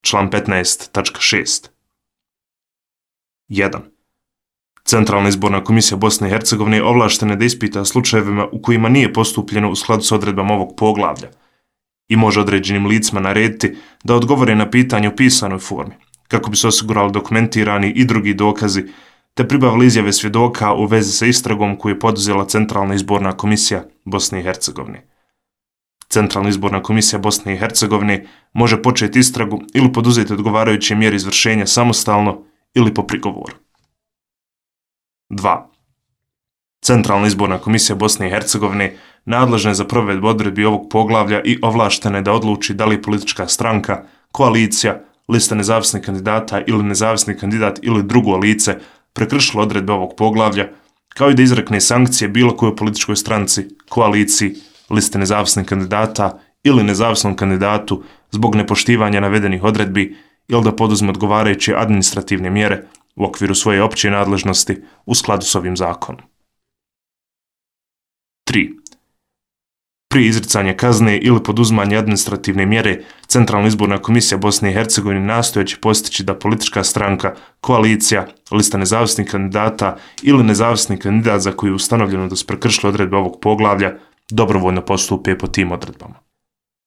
član 15.6. 1. Centralna izborna komisija Bosne i Hercegovine ovlaštena je da ispita slučajevima u kojima nije postupljeno u skladu s odredbama ovog poglavlja i može određenim licima narediti da odgovore na pitanje u pisanoj formi, kako bi se osigurali dokumentirani i drugi dokazi, te pribavili izjave svjedoka u vezi sa istragom koju je poduzela Centralna izborna komisija Bosne i Hercegovine. Centralna izborna komisija Bosne i Hercegovine može početi istragu ili poduzeti odgovarajuće mjere izvršenja samostalno ili po prigovoru. 2. Centralna izborna komisija Bosne i Hercegovine nadležna je za provedbu odredbi ovog poglavlja i ovlaštena je da odluči da li politička stranka, koalicija, lista nezavisnih kandidata ili nezavisni kandidat ili drugo lice prekršilo odredbe ovog poglavlja, kao i da izrekne sankcije bilo kojoj političkoj stranci, koaliciji, liste nezavisnih kandidata ili nezavisnom kandidatu zbog nepoštivanja navedenih odredbi ili da poduzme odgovarajuće administrativne mjere u okviru svoje opće nadležnosti u skladu s ovim zakonom. 3. Prije izricanja kazne ili poduzimanja administrativne mjere, Centralna izborna komisija Bosne i Hercegovine nastojeći postići da politička stranka, koalicija, lista nezavisnih kandidata ili nezavisni kandidat za koji je ustanovljeno da su prekršili odredbe ovog poglavlja dobrovoljno postupe po tim odredbama.